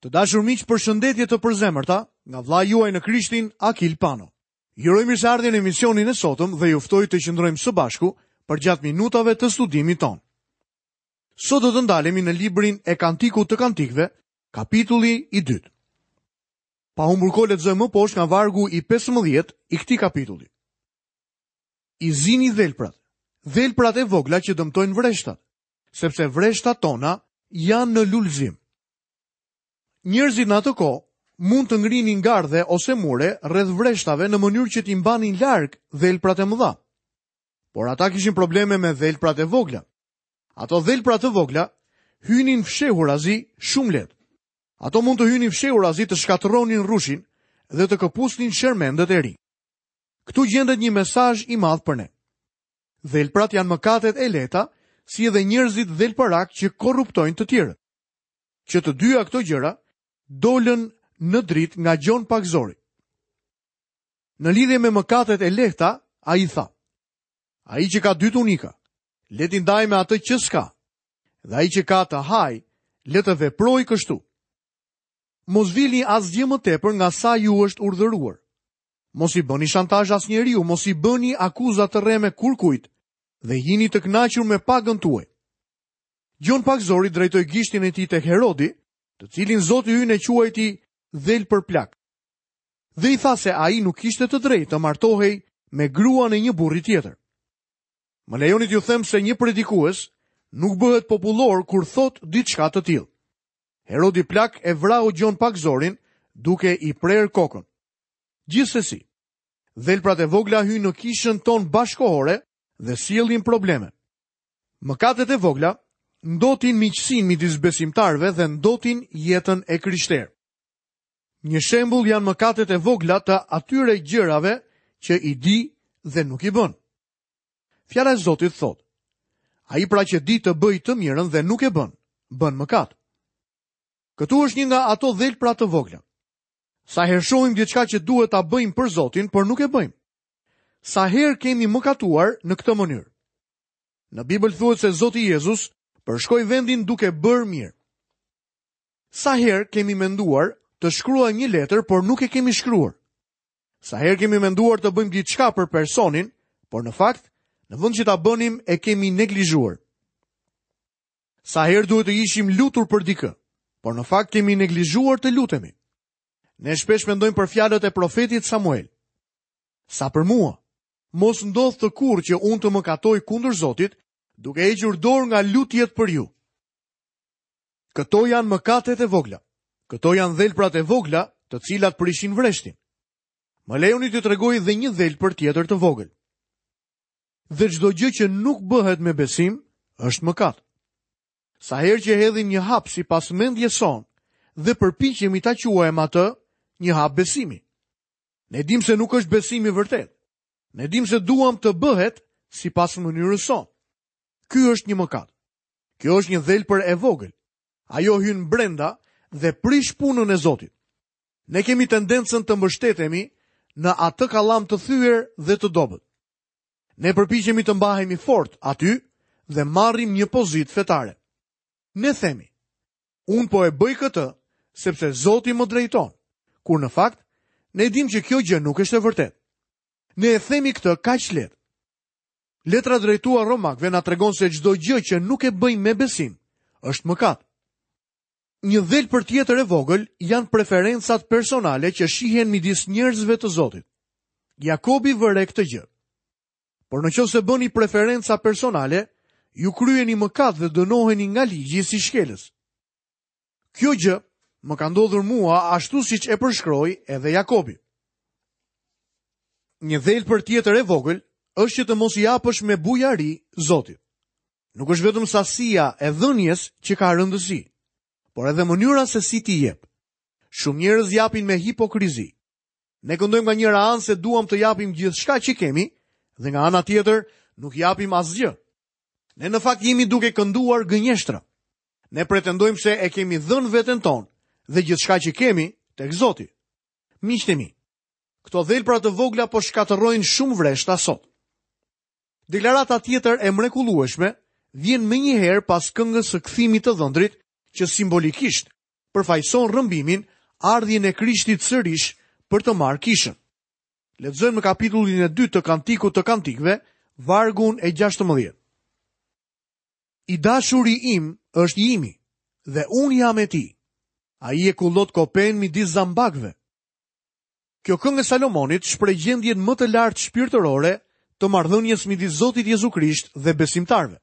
Të dashur miq, përshëndetje të përzemërta nga vëllai juaj në Krishtin, Akil Pano. Ju uroj mirëseardhje në emisionin e sotëm dhe ju ftoj të qëndrojmë së bashku përgjatë minutave të studimit tonë. Sot do të ndalemi në librin e Kantikut të Kantikëve, kapitulli i dytë. Pa humbur kohë lexojmë më poshtë nga vargu i 15 i këtij kapitulli. I zini dhelprat, dhelprat e vogla që dëmtojnë vreshtat, sepse vreshtat tona janë në lulëzim. Njerëzit në atë kohë mund të ngrinin gardhe ose mure rreth vreshtave në mënyrë që t'i mbanin larg dhelprat e mëdha. Por ata kishin probleme me dhelprat e vogla. Ato dhelpra të vogla hynin fshehurazi shumë lehtë. Ato mund të hynin fshehurazi të shkatërronin rrushin dhe të këpusnin shermendët e rinj. Këtu gjendet një mesazh i madh për ne. Dhelprat janë mëkatet e lehta, si edhe njerëzit dhelpërakë që korruptojnë të tjerët. Që të dyja këto gjëra dolën në dritë nga Gjon Pagëzori. Në lidhje me mëkatet e lehta, ai tha: Ai që ka dy tunika, le t'i ndajë me atë që s'ka. Dhe ai që ka të hajë, le të veprojë kështu. Mos vilni asgjë më tepër nga sa ju është urdhëruar. Mos i bëni shantazh asnjeriu, mos i bëni akuza të rreme kurrkujt dhe jini të kënaqur me pagën tuaj. Gjon Pagëzori drejtoi gishtin e tij tek Herodi, të cilin Zoti ynë e quajti dhelpër plak. Dhe i tha se ai nuk kishte të drejtë të martohej me gruan e një burri tjetër. Më lejoni t'ju them se një predikues nuk bëhet popullor kur thotë diçka të tillë. Herodi plak e vrau Gjon Pagëzorin duke i prerë kokën. Gjithsesi, dhelprat e vogla hyjnë në kishën tonë bashkëkohore dhe sjellin probleme. Mëkatet e vogla ndotin miqësinë midis besimtarëve dhe ndotin jetën e krishterë. Një shembull janë mëkatet e vogla të atyre gjërave që i di dhe nuk i bën. Fjala e Zotit thotë: Ai pra që di të bëjë të mirën dhe nuk e bën, bën mëkat. Këtu është një nga ato dhelpra të vogla. Sa herë shohim diçka që duhet ta bëjmë për Zotin, por nuk e bëjmë. Sa herë kemi mëkatuar në këtë mënyrë. Në Bibël thuhet se Zoti Jezus përshkoi vendin duke bërë mirë. Sa herë kemi menduar të shkruajmë një letër, por nuk e kemi shkruar. Sa herë kemi menduar të bëjmë diçka për personin, por në fakt, në vend që ta bënim e kemi neglizhuar. Sa herë duhet të ishim lutur për dikë, por në fakt kemi neglizhuar të lutemi. Ne shpesh mendojmë për fjalët e profetit Samuel. Sa për mua, mos ndodhtë kurrë që unë të mëkatoj kundër Zotit, duke hequr dorë nga lutjet për ju. Këto janë mëkatet e vogla. Këto janë dhelprat e vogla, të cilat prishin vreshtin. Më lejoni t'ju tregoj dhe një dhelpër tjetër të vogël. Dhe çdo gjë që nuk bëhet me besim është mëkat. Sa herë që hedhim një hap sipas mendjes sonë dhe përpiqemi ta quajmë atë një hap besimi. Ne dimë se nuk është besim i vërtetë. Ne dimë se duam të bëhet sipas mënyrës sonë. Ky është një mëkat. Kjo është një dhelpër e vogël. Ajo hyn brenda dhe prish punën e Zotit. Ne kemi tendencën të mbështetemi në atë kallam të thyer dhe të dobët. Ne përpiqemi të mbahemi fort aty dhe marrim një pozitë fetare. Ne themi, unë po e bëj këtë sepse Zoti më drejton, kur në fakt ne dimë që kjo gjë nuk është e vërtetë. Ne e themi këtë kaq lehtë. Letra drejtuar Romakëve na tregon se çdo gjë që nuk e bëjmë me besim është mëkat. Një dhelpër tjetër e vogël janë preferencat personale që shihen midis njerëzve të Zotit. Jakobi vë re këtë gjë. Por në qoftë se bëni preferenca personale, ju kryeni mëkat dhe dënoheni nga ligji si shkelës. Kjo gjë më ka ndodhur mua ashtu siç e përshkroi edhe Jakobi. Një dhelpër tjetër e vogël është që të mos i japësh me bujari Zotit. Nuk është vetëm sasia e dhënies që ka rëndësi, por edhe mënyra se si ti jep. Shumë njerëz japin me hipokrizi. Ne këndojmë nga njëra anë se duam të japim gjithçka që kemi dhe nga ana tjetër nuk japim asgjë. Ne në fakt jemi duke kënduar gënjeshtra. Ne pretendojmë se e kemi dhënë veten tonë dhe gjithçka që kemi tek Zoti. Miqtë e mi, këto dhelpra të vogla po shkatërrojnë shumë vreshta sot. Deklarata tjetër e mrekullueshme vjen menjëherë pas këngës së kthimit të dhëndrit që simbolikisht. përfaqëson rrëmbimin, ardhjen e Krishtit sërish për të marrë kishën. Lexojmë në kapitullin e dytë të Kantikut të Kantikëve, vargun e 16. I dashuri im është i imi dhe unë jam e tij. Ai e kullot kopenë midis zambakëve. Kjo këngë e Salomonit shpreh gjendjen më të lartë shpirtërore të marrëdhënies midis Zotit Jezu Krisht dhe besimtarëve.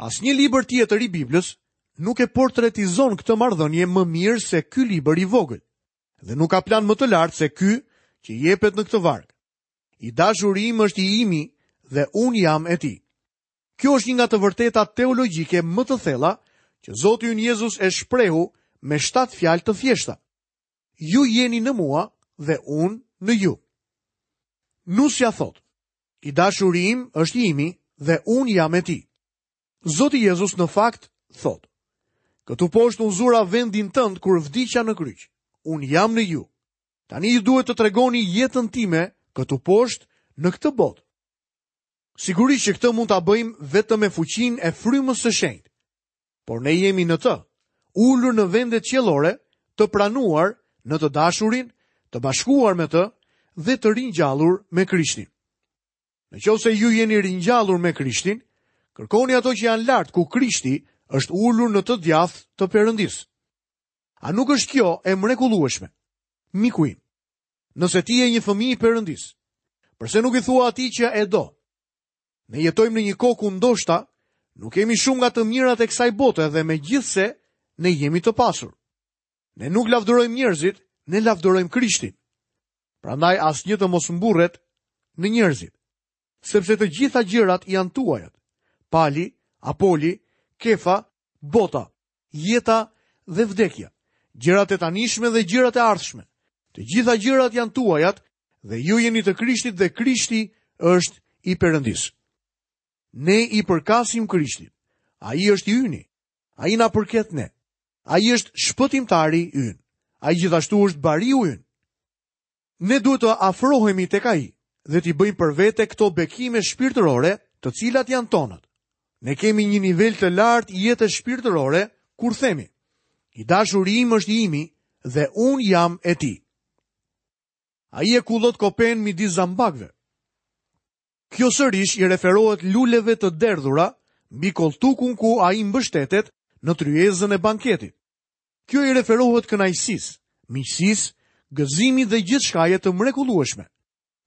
Asnjë libër tjetër i Biblës nuk e portretizon këtë marrëdhënie më mirë se ky libër i vogël. Dhe nuk ka plan më të lartë se ky që jepet në këtë varg. I dashuri im është i imi dhe unë jam e tij. Kjo është një nga të vërtetat teologjike më të thella që Zoti ynë Jezus e shprehu me shtatë fjalë të thjeshta. Ju jeni në mua dhe unë në ju. Nusja thotë, i dashuri im është i imi dhe unë jam e tij. Zoti Jezus në fakt thotë, këtu poshtë unë zura vendin tënd kur vdiqa në kryq. Unë jam në ju. Tani ju duhet të tregoni jetën time këtu poshtë në këtë botë. Sigurisht që këtë mund ta bëjmë vetëm me fuqinë e frymës së shenjtë. Por ne jemi në të, ulur në vendet qiellore, të pranuar në të dashurin, të bashkuar me të dhe të ringjallur me Krishtin. Në qoftë se ju jeni ringjallur me Krishtin, kërkoni ato që janë lart ku Krishti është ulur në të djathtë të Perëndisë. A nuk është kjo e mrekullueshme? Miku im, nëse ti je një fëmijë i Perëndisë, përse nuk i thua atij që e do? Ne jetojmë në një kohë ku ndoshta nuk kemi shumë nga të mirat e kësaj bote dhe megjithëse ne jemi të pasur. Ne nuk lavdërojmë njerëzit, ne lavdërojmë Krishtin. Prandaj asnjë të mos mburret në njerëzit, sepse të gjitha gjërat janë tuajat. Pali, Apoli, Kefa, bota, jeta dhe vdekja, gjërat e tanishme dhe gjërat e ardhshme. Të gjitha gjërat janë tuajat dhe ju jeni të Krishtit dhe Krishti është i Perëndisë. Ne i përkasim Krishtit. Ai është i yni. Ai na përket ne. Ai është shpëtimtari ynë. Ai gjithashtu është bariu ynë. Ne duhet të afrohemi tek ai dhe t'i bëjmë për vete këto bekime shpirtërore, të cilat janë tonat. Ne kemi një nivel të lartë jete shpirtërore kur themi: I dashuri im është i imi dhe unë jam e tij. Ai e kullot kopenë midis zambakëve. Kjo sërish i referohet luleve të derdhura mbi kolltukun ku ai mbështetet në tryezën e banketit. Kjo i referohet kënaqësisë, miqësisë, gëzimit dhe gjithçkaje të mrekullueshme.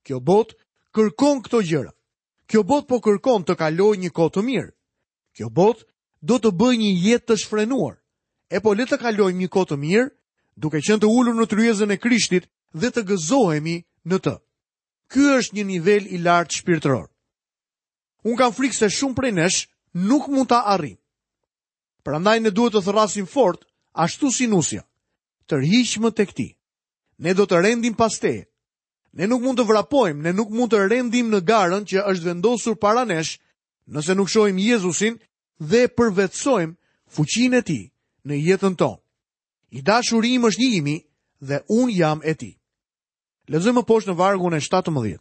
Kjo botë kërkon këto gjëra. Kjo botë po kërkon të kalojë një kohë të mirë. Kjo botë do të bëjë një jetë të shfrenuar. E po le të kalojmë një kohë të mirë, duke qenë të ulur në tryezën e Krishtit dhe të gëzohemi në të. Ky është një nivel i lartë shpirtëror. Unë kam frikë se shumë prej nesh nuk mund ta arrijmë. Prandaj ne duhet të thërrasim fort, ashtu si nusja. Tërhiqmë tek ti. Ne do të rendim pas teje. Ne nuk mund të vrapojmë, ne nuk mund të rendim në garën që është vendosur para nesh, nëse nuk shohim Jezusin dhe përvetësojmë fuqinë e tij në jetën tonë. I dashuri im është i imi dhe unë jam e tij. Lexojmë më poshtë në vargun e 17.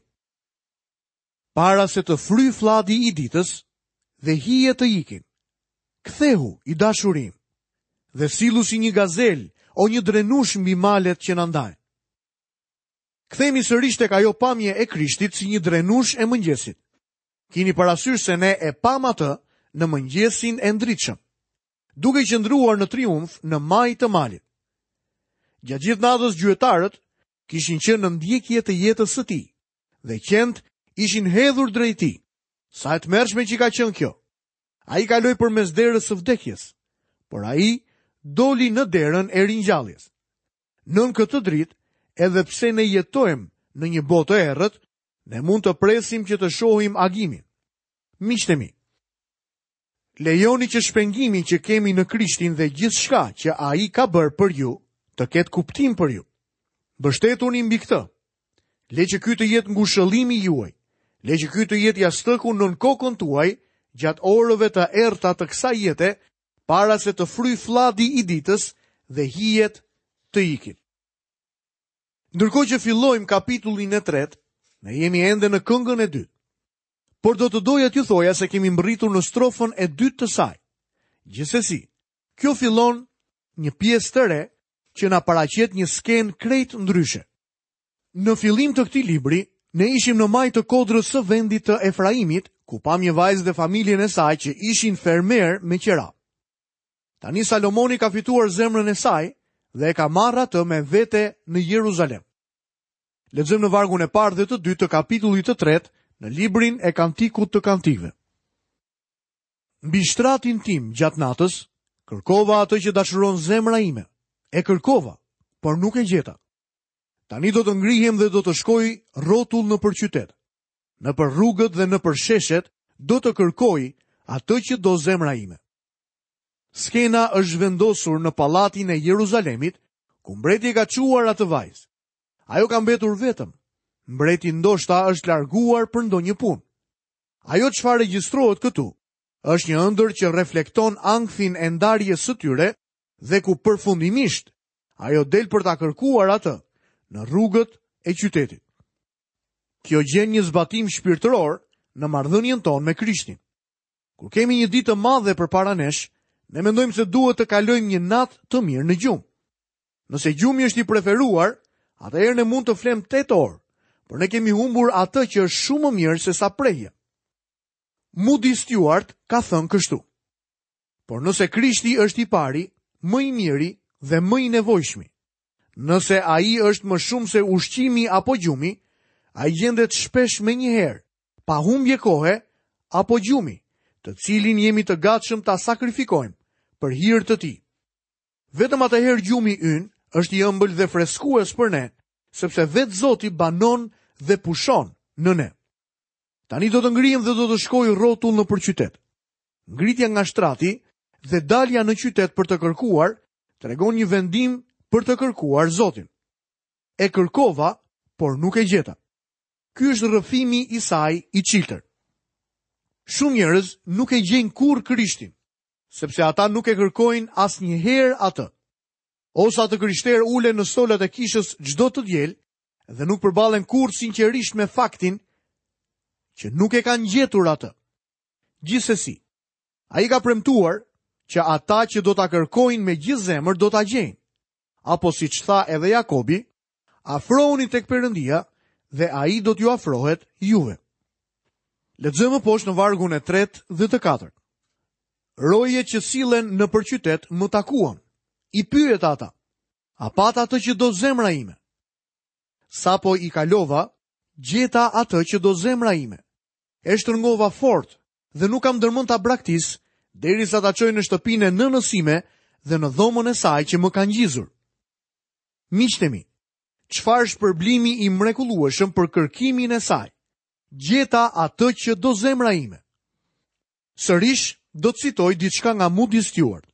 Para se të fryjë flladi i ditës dhe hijet të ikin. Kthehu, i dashuri im, dhe sillu si një gazelë o një drenushë mbi malet që na ndajnë. Kthehemi sërish tek ajo pamje e Krishtit si një drenushë e mëngjesit. Kini parasysh se ne e pamë atë në mëngjesin e ndritshëm, duke qëndruar në triumf në majë të malit. Gjatë gjithë natës gjuetarët kishin qenë në ndjekje të jetës së tij dhe qentë ishin hedhur drejt tij. Sa e tmerrshme që ka qenë kjo. Ai kaloi përmes derës së vdekjes, por ai doli në derën e ringjalljes. Nën këtë dritë, edhe pse ne jetojmë në një botë të errët, ne mund të presim që të shohim agimin. Miqtë e mi, lejoni që shpengimi që kemi në Krishtin dhe gjithçka që ai ka bërë për ju, të ketë kuptim për ju. Mbështetuni mbi këtë. Le që ky të jetë ngushëllimi juaj. Le që ky të jetë jastëku nën kokën tuaj gjatë orëve të errëta të kësaj jete, para se të fryjë flladi i ditës dhe hijet të ikin. Ndërkohë që fillojmë kapitullin e tretë, ne jemi ende në këngën e dytë. Por do të doja t'ju thoja se kemi mbërritur në strofën e dytë të saj. Gjithsesi, kjo fillon një pjesë të re që na paraqet një skenë krejt ndryshe. Në fillim të këtij libri, ne ishim në majë të kodrës së vendit të Efraimit, ku pamë një vajzë dhe familjen e saj që ishin fermerë me qera. Tani Salomoni ka fituar zemrën e saj dhe e ka marrë atë me vete në Jeruzalem. Lexojmë në vargun e parë dhe të dytë të kapitullit të tretë në librin e Kantikut të Kantikëve. Mbi shtratin tim gjatë natës, kërkova atë që dashuron zemra ime. E kërkova, por nuk e gjeta. Tani do të ngrihem dhe do të shkoj rrotull nëpër qytet. Nëpër rrugët dhe nëpër sheshet do të kërkoj atë që do zemra ime. Skena është zhvendosur në pallatin e Jeruzalemit, ku mbreti e ka çuar atë vajzë. Ajo ka mbetur vetëm. Mbreti ndoshta është larguar për ndonjë punë. Ajo çfarë regjistrohet këtu është një ëndërr që reflekton ankthin e ndarjes së tyre dhe ku përfundimisht ajo del për ta kërkuar atë në rrugët e qytetit. Kjo gjen një zbatim shpirtëror në marrëdhënien tonë me Krishtin. Kur kemi një ditë të madhe përpara nesh, ne mendojmë se duhet të kalojmë një natë të mirë në gjumë. Nëse gjumi është i preferuar, atëherë ne mund të flemë 8 orë, por ne kemi humbur atë që është shumë më mirë sesa prehja. Moody Stuart ka thënë kështu. Por nëse Krishti është i pari, më i miri dhe më i nevojshmi, nëse ai është më shumë se ushqimi apo gjumi, ai gjendet shpesh menjëherë, pa humbje kohe apo gjumi, të cilin jemi të gatshëm ta sakrifikojmë për hir të tij. Vetëm atëherë gjumi ynë është i ëmbël dhe freskues për ne, sepse vetë Zoti banon dhe pushon në ne. Tani do të ngrihem dhe do të shkoj rrotull nëpër qytet. Ngritja nga shtrati dhe dalja në qytet për të kërkuar, tregon një vendim për të kërkuar Zotin. E kërkova, por nuk e gjeta. Ky është rrëfimi i saj i çiltër. Shumë njerëz nuk e gjejnë kurrë Krishtin, sepse ata nuk e kërkojnë asnjëherë atë. O sa të krishterë ulen në stolat e kishës çdo të diel dhe nuk përballen kurrë sinqerisht me faktin që nuk e kanë gjetur atë. Gjithsesi, ai ka premtuar që ata që do ta kërkojnë me gjithë zemër do ta gjejnë. Apo siç tha edhe Jakobi, afrohuni tek Perëndia dhe ai do t'ju afrohet juve. Lexojmë më poshtë në vargun e tretë dhe të katërt. Rojet që sillen nëpër qytet më takuan. I pyeta ata. A patë atë që do zemra ime? Sapo i kalova, gjeta atë që do zemra ime. E shtrëngova fort dhe nuk kam ndërmend ta braktis derisa ta çoj në shtëpinë e nënës sime dhe në dhomën e saj që më ka ngjizur. Miqtë e mi, çfarë shpërblimi i mrekullueshëm për kërkimin e saj. Gjeta atë që do zemra ime. Sërish do të citoj diçka nga Moody Stuart.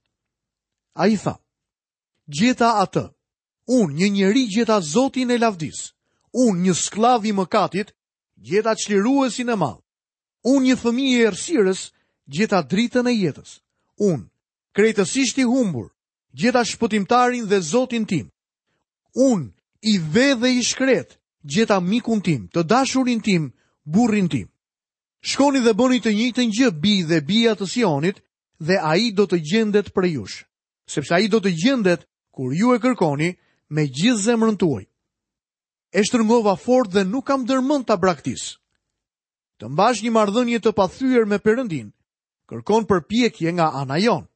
Ai tha: Gjeta atë. Unë, një njeri gjeta Zotin e lavdisë. Unë, një skllav i mëkatit, Gjeta çliruesin e madh. Unë një fëmijë i errësirës, gjeta dritën e jetës. Unë, krejtësisht i humbur, gjeta shpëtimtarin dhe Zotin tim. Unë, i ve dhe i shkretë, gjeta mikun tim, të dashurin tim, burrin tim. Shkoni dhe bëni të njëjtën gjë bij dhe bija të Sionit dhe ai do të gjendet prej jush, sepse ai do të gjendet kur ju e kërkoni me gjithë zemrën tuaj. E shtrëngova fort dhe nuk kam ndërmend ta braktis. Të mbash një marrëdhënie të pathyer me Perëndinë, kërkon përpjekje nga ana jonë.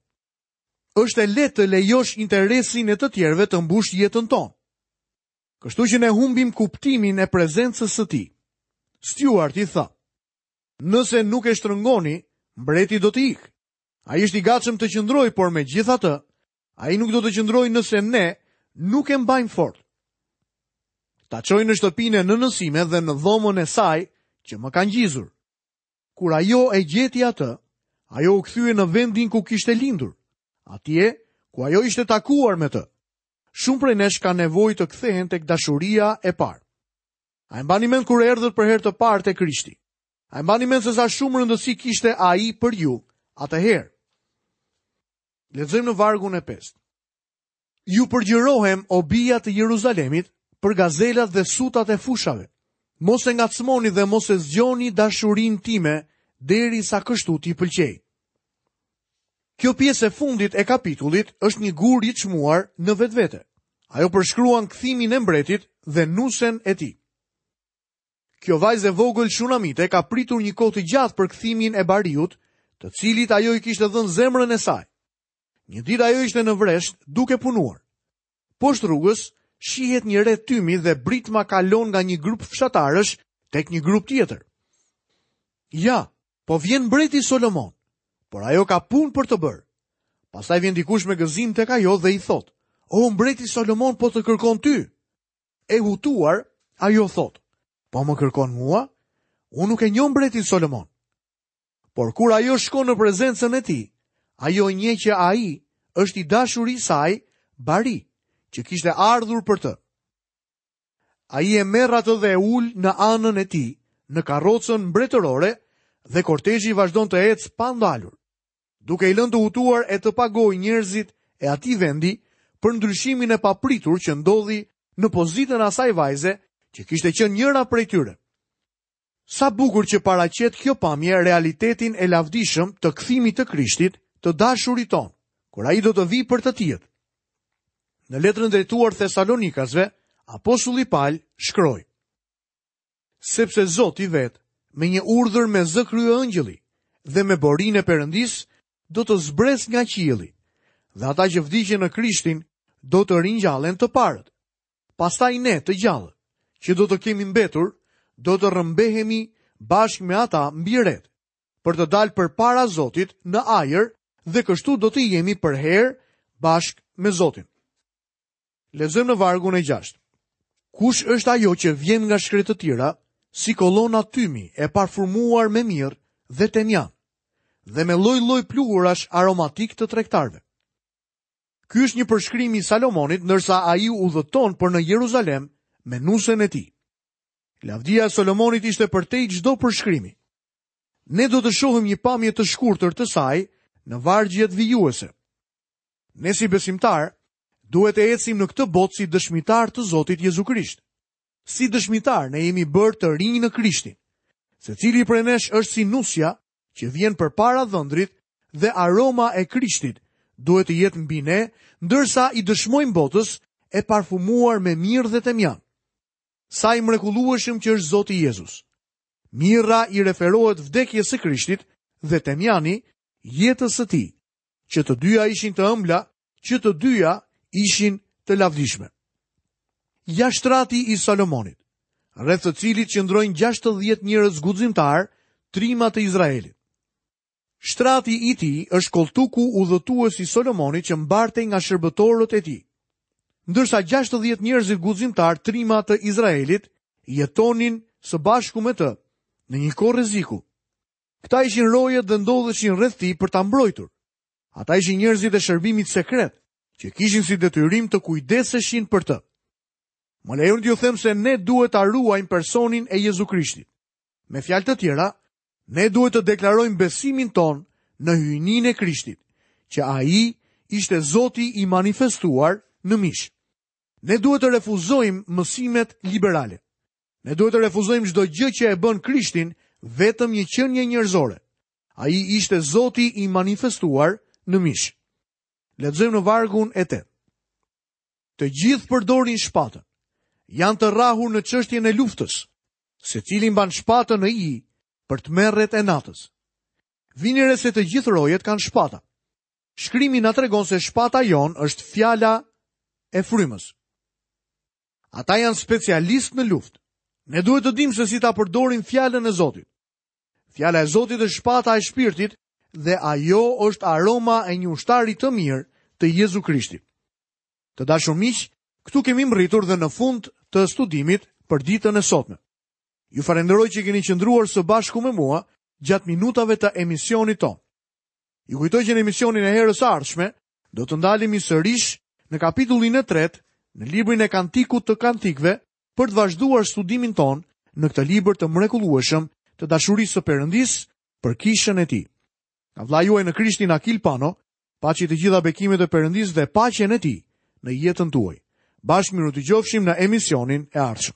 Është e lehtë të lejosh interesin e të tjerëve të mbushë jetën tonë. Kështu që ne humbim kuptimin e prezencës së tij. Stuarti tha: Nëse nuk e shtrëngoni, mbreti do të ikë. Ai është i gatshëm të qëndrojë, por megjithatë, Ai nuk do të qëndrojë nëse ne nuk e mbajmë fort. Ta çoj në shtëpinë e nënës sime dhe në dhomën e saj që më ka ngjizur. Kur ajo e gjeti atë, ajo u kthye në vendin ku kishte lindur, atje ku ajo ishte takuar me të. Shumë prej nesh kanë nevojë të kthehen tek dashuria e parë. A e mbani mend kur erdhët për herë të parë te Krishti? A e mbani mend se sa shumë rëndësi kishte ai për ju atëherë? Lexojmë në vargun e 5. Ju përgjërohem o bija të Jeruzalemit për gazelat dhe sutat e fushave. Mos e ngacmoni dhe mos e zgjoni dashurinë time derisa kështu t'i pëlqejë. Kjo pjesë e fundit e kapitullit është një gur i çmuar në vetvete. Ajo përshkruan kthimin e mbretit dhe nusen e tij. Kjo vajzë e vogël shunamite ka pritur një kohë të gjatë për kthimin e bariut, të cilit ajo i kishte dhënë zemrën e saj. Një ditë ajo ishte në vresht duke punuar. Poshtë rrugës shihet një re tymi dhe britma kalon nga një grup fshatarësh tek një grup tjetër. Ja, po vjen mbreti Solomon, por ajo ka punë për të bërë. Pastaj vjen dikush me gëzim tek ajo dhe i thotë: "O mbreti Solomon po të kërkon ty." E hutuar, ajo thotë: "Po më kërkon mua? Unë nuk e njoh mbretin Solomon." Por kur ajo shkon në prezencën e tij, ajo e njeh që ai është i dashuri i saj, bari, që kishte ardhur për të. Ai e merr atë dhe e ul në anën e tij, në karrocën mbretërore dhe kortezhi vazhdon të ecë pa ndalur, duke i lënë të hutuar e të pagojë njerëzit e atij vendi për ndryshimin e papritur që ndodhi në pozitën e asaj vajze që kishte qenë njëra prej tyre. Sa bukur që paraqet kjo pamje realitetin e lavdishëm të kthimit të Krishtit, të dashurit tonë, kur ai do të vijë për të tijët. Në letrën drejtuar Thesalonikasve, apostulli Pal shkroi: Sepse Zoti vetë, me një urdhër me zë kryeëngjëlli dhe me borinë e Perëndisë, do të zbresë nga qielli, dhe ata që vdiqën në Krishtin do të ringjallen të parët. Pastaj ne, të gjallët, që do të kemi mbetur, do të rrëmbehemi bashkë me ata mbi retë, për të dalë përpara Zotit në ajër dhe kështu do të jemi përherë bashkë me Zotin. Lexojmë në vargun e 6. Kush është ajo që vjen nga shkretëtira, si kolona tymi e parfumuar me mirë dhe temjan, dhe me lloj-lloj pluhurash aromatikë të tregtarëve? Ky është një përshkrim i Salomonit ndërsa ai udhëton për në Jeruzalem me nusen e tij. Lavdia e Salomonit ishte përtej çdo përshkrimi. Ne do të shohim një pamje të shkurtër të saj në vargjet vijuese. Ne si besimtarë duhet të ecim në këtë botë si dëshmitarë të Zotit Jezu Krisht. Si dëshmitarë ne jemi bërë të rinj në Krishtin. Secili prej nesh është si nusja që vjen përpara dhëndrit dhe aroma e Krishtit duhet të jetë mbi ne, ndërsa i dëshmojmë botës e parfumuar me mirë dhe temjan. Sa i mrekullueshëm që është Zoti Jezus. Mirra i referohet vdekjes së Krishtit dhe temjani jetës së tij, që të dyja ishin të ëmbla, që të dyja ishin të lavdishme. Ja shtrati i Salomonit, rreth të cilit qëndrojnë 60 njerëz guximtarë, trima të Izraelit. Shtrati i tij është kolltuku udhëtues i Solomonit që mbartej nga shërbëtorët e tij. Ndërsa 60 njerëzit guximtarë trima të Izraelit jetonin së bashku me të në një kohë rreziku. Këta ishin rojet dhe ndodheshin rreth tij për ta mbrojtur. Ata ishin njerëzit e shërbimit sekret, që kishin si detyrim të kujdeseshin për të. Më lejoni t'ju them se ne duhet ta ruajmë personin e Jezu Krishtit. Me fjalë të tjera, ne duhet të deklarojmë besimin tonë në hyjninë e Krishtit, që ai ishte Zoti i manifestuar në mish. Ne duhet të refuzojmë mësimet liberale. Ne duhet të refuzojmë çdo gjë që e bën Krishtin vetëm një qenie njerëzore. Ai ishte Zoti i manifestuar në mish. Lexojmë në vargun e 8. Të gjithë përdorin shpatën. Janë të rrahur në çështjen e luftës. Secili mban shpatën në ijë për tmerret e natës. Vini re se të gjithë rojet kanë shpata. Shkrimi na tregon se shpata jonë është fjala e frymës. Ata janë specialistë në luftë. Ne duhet të dimë se si ta përdorim fjalën e Zotit. Fjala e Zotit është shpata e shpirtit dhe ajo është aroma e një ushtari të mirë të Jezu Krishtit. Të dashur miq, këtu kemi mbërritur dhe në fund të studimit për ditën e sotme. Ju falenderoj që keni qëndruar së bashku me mua gjatë minutave të emisionit tonë. Ju kujtoj që në emisionin e herës së ardhshme do të ndalemi sërish në kapitullin e tretë në librin e Kantikut të Kantikëve për të vazhduar studimin tonë në këtë libër të mrekullueshëm të dashurisë së Perëndisë për kishën e tij. Nga vëllai juaj në Krishtin Akil Pano, paçi të gjitha bekimet e Perëndisë dhe paqen e tij në jetën tuaj. Bashkë mirudëgjofshim në emisionin e ardhshëm.